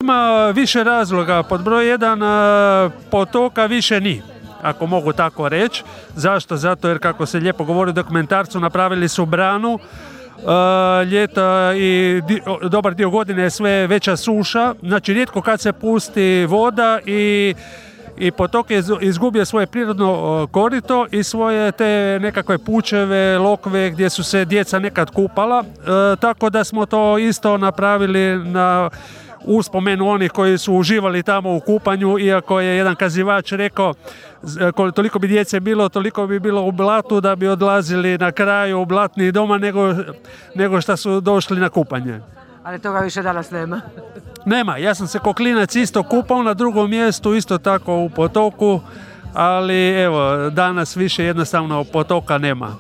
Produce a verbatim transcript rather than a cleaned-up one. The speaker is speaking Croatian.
ima više razloga. Pod broj jedan, potoka više ni, ako mogu tako reći. Zašto? Zato jer, kako se lijepo govori u dokumentarcu, napravili su branu. Uh, ljeta i di, dobar dio godine je sve veća suša, znači rijetko kad se pusti voda i, i potok je izgubio svoje prirodno korito i svoje te nekakve pučeve, lokve gdje su se djeca nekad kupala, uh, tako da smo to isto napravili na uspomenu onih koji su uživali tamo u kupanju, iako je jedan kazivač rekao toliko bi djece bilo, toliko bi bilo u blatu da bi odlazili na kraju u blatni doma nego, nego što su došli na kupanje. Ali toga više danas nema. Nema, ja sam se ko klinac isto kupao na drugom mjestu, isto tako u potoku, ali evo, danas više jednostavno potoka nema.